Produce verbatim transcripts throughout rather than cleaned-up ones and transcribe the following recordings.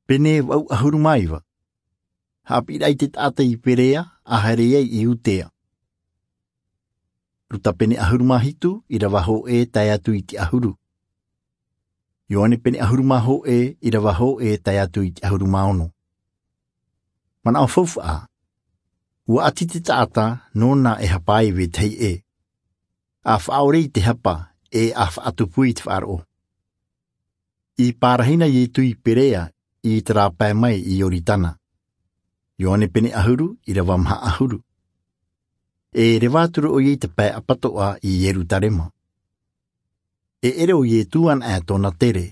Pene vaʻu ʻahuru mā iva. Haʻapiʻiraʻa i te taʻata i Perea, ʻa haere ai i Iudea. Luka pene ʻahuru mā hitu, ʻirava hōʻē tae atu i te ʻahuru. Ioane pene ʻahuru mā hōʻē, ʻirava hōʻē tae atu i te ʻahuru mā ono. Manaʻo faufaʻa. Ua ʻati te taʻata, nōna e hapa ai i vetahi ʻē. ʻA faʻaʻore i te hapa, ʻe ʻa faʻatupu i te faʻaroʻo. I pārahi na Ietu i Perea, i terā pae mai i Ioritana. Ioane pene ʻahuru, ʻirava maha ʻahuru. E reva atu ra ʻoia i te pae ʻapatoʻa i Ierutarema. E ʻere ʻo Ietu anaʻe tōna tere,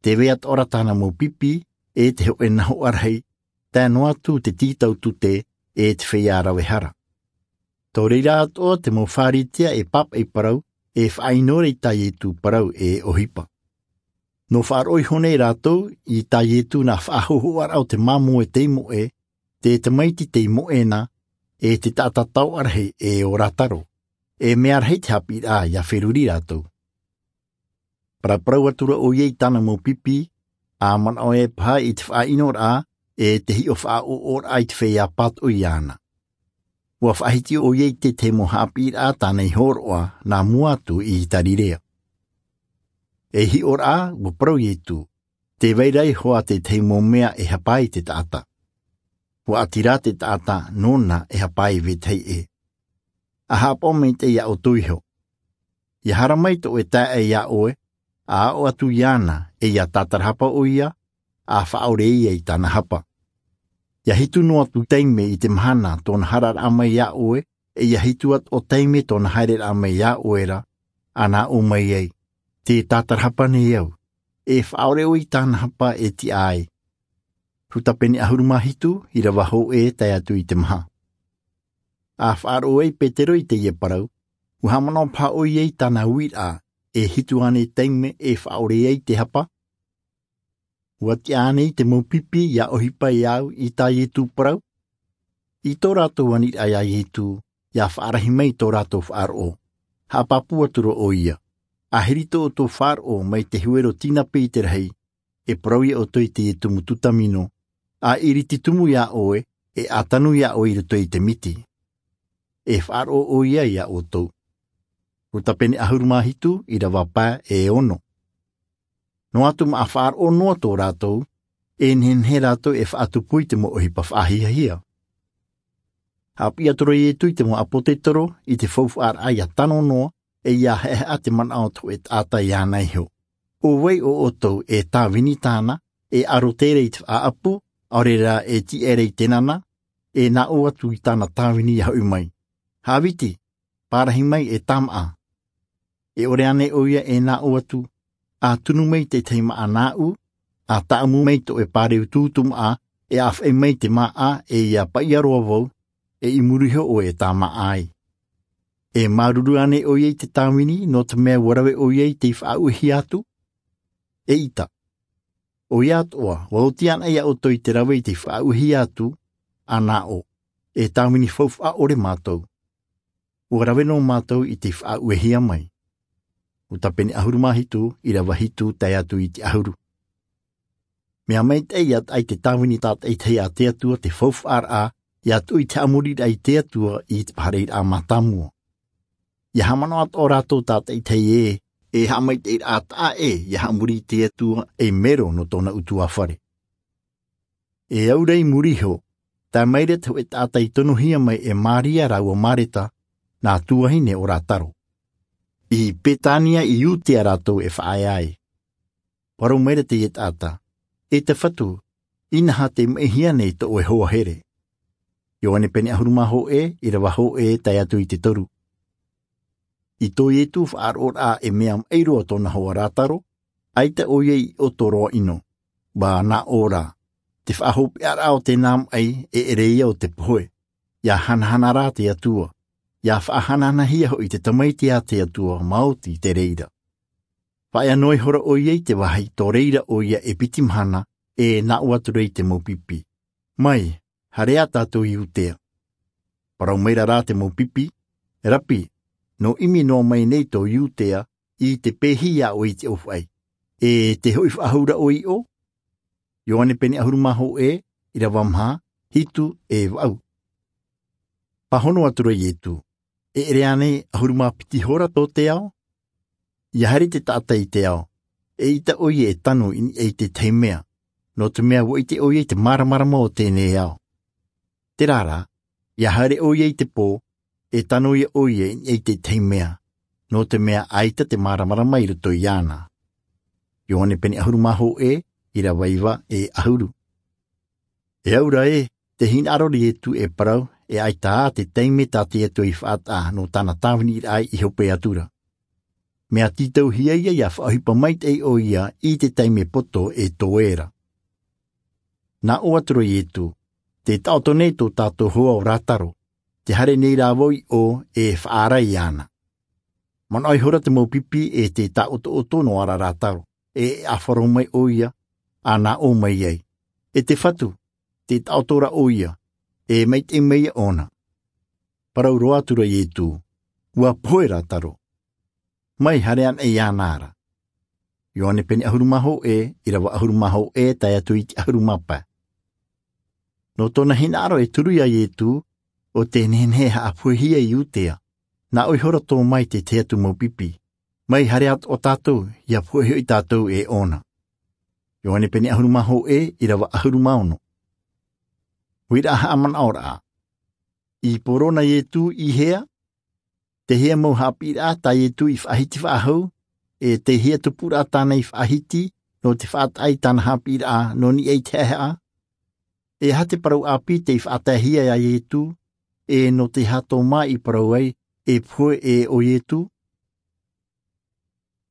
tē vai atoʻa ra tāna mau pipi, ʻe te hōʻē nahoʻa rahi, tae noa atu te tītau tute, ʻe te feiā rave hara. Tō reira atoʻa te mau Pharisea e pāpaʻi parau, e faʻaʻino ra i tā Ietu parau e ʻohipa. Nō faʻaroʻo iho nei rātou i tā Ietu nā faʻahōhoʻaraʻa o te māmoe tei moʻe, te tamaiti tei moʻe na, ʻe te taʻata taoʻa rahi ʻo Lasaro, e mea rahi te haʻapiʻiraʻa ʻia feruri rātou. Paraparau atu ra ʻoia i tāna mau pipi, ʻa manaʻo ē paha i te faʻaʻinoraʻa, ʻe te hiʻo faʻaʻoʻoraʻa i te feiā pātoʻi iāna. Ua faʻahiti ʻoia i te tahi mau haʻapiʻiraʻa tāna i hōroʻa, nā mua atu i Tarirea. E hiʻoraʻa, ua parau Ietu, tē vai ra iho ā te tahi mau mea e hapa ai te taʻata. Ua ʻati rā te taʻata, nōna e hapa ai i vetahi ʻē. ʻA haʻapaʻo maitaʻi iā ʻoutou iho. ʻIa haere mai tō ʻoe taeaʻe iā ʻoe, ʻa aʻo atu iāna, ʻe ʻia tātarahapa ʻoia, ʻa faʻaʻore ïa i tāna hapa. ʻIa hitu noa atu taime i te mahana tōna haereraʻa mai iā ʻoe, ʻe ʻia hitu atoʻa taime tōna haereraʻa mai iā ʻoe ra, ʻa nā ʻō mai ai, tē tātarahapa nei au, e faʻaʻore ʻoe i tāna hapa e tiʻa ai. Luka pene ʻahuru mā hitu, ʻirava hōʻē tae atu i te maha. ʻA faʻaroʻo ai Petero i teie parau, ua haʻamanaʻo paha ʻoia i tāna uiraʻa, e hitu ānei taime e faʻaʻore ai te hapa? Ua tiʻa ānei te mau pipi ʻia ʻohipa iāʻu i tā Ietu parau? I tō rātou aniraʻa iā Ietu, ʻia faʻarahi mai tō rātou faʻaroʻo. Haʻapāpū atu ra ʻoia. ʻA hiri tō ʻoutou faʻaroʻo mai te huero tīnapi i te rahi, e parau iā ʻoutou i teie tumu tutamino, ʻa iriti tumu iā ʻoe, ʻe ʻa tanu iā ʻoe i roto i te miti. E faʻaroʻo ʻoia iā ʻoutou. Luka pene ʻahuru mā hitu, ʻirava pae e ono. Noa atu mā ʻa faʻaroʻo noa tō rātou, e nehenehe rātou e faʻatupu i te mau ʻohipa faʻahiahia. Haʻapiʻi atu ra Ietu i te mau ʻāpōsetolo, i te faufaʻaraʻa ʻia tano noa, ʻe ʻia haʻehaʻa te manaʻo o te hōʻē taʻata iāna iho. ʻO vai ʻo ʻoutou e tāvini tāna, e ʻaro terā i te faʻaʻapu, ʻaore rā e tiʻa ra i te nana, e nā ʻō atu i tāna tāvini ʻia hoʻi mai. Hāviti, pārahi mai e tāmaʻa. E ʻore ānei ʻoia e nā ʻō atu, ʻa tunu mai te tahi māʻa nāʻu, ʻa tāʻamu mai tō ʻoe pāreu tūtū māʻa, ʻe ʻa faʻi mai te māʻa ʻe ʻia paʻia roa vau, ʻe i muri iho ʻoe e tāmaʻa ai. E māuruuru ānei ʻoia i te tāvini, nō te mea ua rave ʻoia i tei faʻaʻuehia atu? ʻEʻita. ʻOia atoʻa, ua oti ana iā ʻoutou i te rave i tei faʻaʻuehia atu, ʻa nā ʻō, e tāvini faufaʻa ʻore mātou. Ua rave noa mātou i tei faʻaʻuehia mai. Luka pene ʻahuru mā hitu, ʻirava hitu tae atu i te ʻahuru. Mea maitaʻi ʻia taʻa i te tāvini tātaʻitahi a te Atua te faufaʻaraʻa, ʻia tuʻu i te haʻamoriraʻa i te Atua i te fārereiraʻa mātāmua. ʻIa haʻamanaʻo atoʻa rātou tātaʻitahi ē, e haʻamaitaʻiraʻa taʻa ʻē, ʻia haʻamori i te Atua ei mero nō tōna ʻutuāfare. E au ra i muri iho, tae mai ra te hōʻē taʻata i tonohia mai e Māria rāua Mareta, nā tuahine o Lasaro. I Betania i Iudea rātou e faʻaea ai. Parau mai ra teie taʻata, e te Fatu, inaha tei maʻihia nei tō ʻoe hoa here. Ioane pene ʻahuru mā hōʻē, ʻirava hōʻē tae atu i te toru. I tō Ietu faʻaroʻoraʻa e mea maʻi roa tōna hoa Lasaro, ʻaita ʻoia i ʻoto roa ʻino, ʻua nā ʻō rā, te faʻahopeʻaraʻa o tēnā maʻi e ʻere ïa o te pohe, ʻia hanahana rā te Atua, ʻia faʻahanahanahia hoʻi te Tamaiti a te Atua maoti te reira. Faʻaea noa ihora ʻoia i te vāhi tō reira ʻoia e piti mahana, e nā ʻō atu ra i te mau pipi, mai, haere ā tātou i Iudea. Parau mai ra rā te mau pipi, Rapi, nō ʻimi noa mai nei tō Iudea, i te pēhi iā ʻoe i te ʻōfaʻi, e tē hoʻi faʻahou ra ʻoe i ʻō? Ioane pene ʻahuru mā hōʻē, ʻirava maha, hitu e vaʻu. Pāhono atu ra iesu, e ʻere ānei ʻahuru mā piti hora tō te ao? Ia haere te taʻata i te ao, e ʻaita ʻoia e tano i niʻa i tētahi mea, nō te mea ua ʻite ʻoia i te māramarama o teie nei ao. Terā rā, ia haere ʻoia i te pō, e tano ia ʻoia i niʻa i tētahi mea, nō te mea ʻaita te māramarama i roto iāna. Ioane pene ʻahuru mā hōʻē, ʻirava iva e ʻahuru. E aura ē, tē hinaʻaro ra iesu e parau, e ʻaita ā te taime tā te atua i faʻataʻa nō tāna tāviniraʻa i hope atu ra. Mea tītauhia ia ia faʻaʻohipa maitaʻi ʻoia i te taime poto e toe ra. Nā ʻō atu ra iesu, tē taʻoto nei tō tātou hoa ʻo lasaro, tē haere nei rā vau i ʻō e faʻaara iāna. Manaʻo ihora te mau pipi e tē taʻotoʻoto noa ra lasaro, e ʻāfaro mai ʻoia, ʻa nā ʻō mai ai, e te fatu, tē taʻoto ra ʻoia, e maitaʻi mai ia ʻōna. Parau roa atu ra iesu, ua pohe lasaro, mai haere anaʻe iāna ra. Ioane pene ʻahuru mā hōʻē, ʻirava ʻahuru mā hōʻē tae atu i te ʻahuru mā pae. Nō tōna hinaʻaro e turu iā iesu, ʻo tē nehenehe e haʻapohehia i iudea, nā ʻō ihora tō mai tētahi atu mau pipi, mai haere atu ʻo tātou ia pohe hoʻi tātou e ʻōna. Ioane pene ʻahuru mā hōʻē, ʻirava ʻahuru mā ono. Huiraʻa haʻamanaʻoraʻa. I poro na iesu i hea? Tei hea mau haʻapiʻiraʻa tā iesu i faʻahiti faʻahou, e tei hea tupuraʻa tāna i faʻahiti nō te faʻataʻa i tāna haʻapiʻiraʻa nō niʻa i te haʻehaʻa? E aha te parau ʻāpī tei faʻataehia iā iesu, e nō te aha tō mā i parau ai e pohe ʻo iesu?